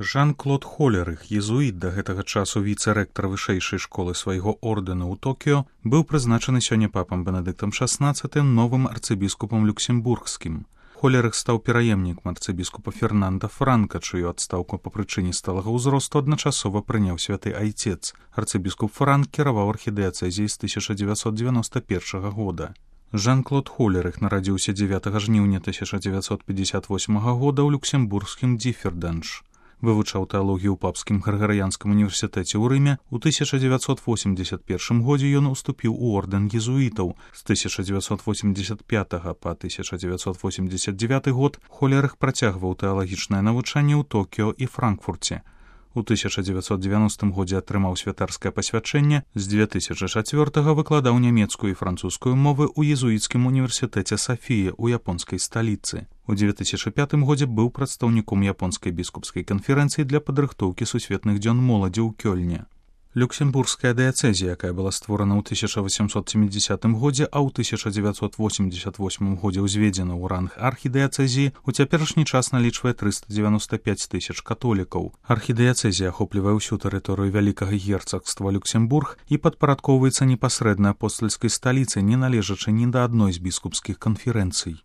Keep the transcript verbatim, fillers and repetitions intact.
Жан-Клод Холерых, езуіт, да гэтага часу віцэ-рэктар вышэйшай школы свайго ордэна ў Токіё, быў прызначаны сёння папам Бенедыктам шаснаццатым новым арцыбіскупам люксембургскім. Холерых стаў пераемнікам арцыбіскупа Фернанда Франка, чыю адстаўку па прычыне сталага ўзросту адначасова прыняў святы айцец. Арцыбіскуп Франк кіраваў архідыяцэзіяй з тысяча дзевяцьсот дзевяноста першага года. Жан-Клод Холерых нарадзіўся дзевятага жніўня тысяча дзевяцьсот пятьдесят восьмага года ў люксембургскім Диффердэнш. Вывучаў тэалогію ў папскім Грыгарыянскім універсітэце ў Рыме. У тысяча дзевяцьсот восемьдесят першым годзе ён уступіў у ордэн езуітаў. З тысяча дзевяцьсот восемьдесят пятага па тысяча дзевяцьсот восемьдесят девяты год Холерых працягваў тэалагічнае навучанне ў Токіё і Франкфурце. У тысяча дзевяцьсот дзевяностым годзе атрымаў святарскае пасвячэнне, з дзве тысячы чацвёртага выкладаў нямецкую і французскую мовы ў езуіцкім універсітэце Сафія ў японскай сталіцы. У дзве тысячы пятым годзе быў прадстаўніком японскай біскупскай канферэнцыі для падрыхтоўкі сусветных дзён моладзі ў Кёльне. Люксембургская дыяцэзія, якая была створана ў тысяча васемсот сямідзесятым годзе, а ў тысяча дзевяцьсот восемьдесят восьмым годзе ўзведзена ў ранг архідыяцэзіі, у цяперашні час налічвае трыста дзевяноста пяць тысяч католікаў. Архідыяцэзія ахоплівае ўсю тэрыторыю вялікага герцагства Люксембург і падпарадкоўваецца непасрэдна апостальскай сталіцы, не належачы ні да адной з біскупскіх канферэнцый.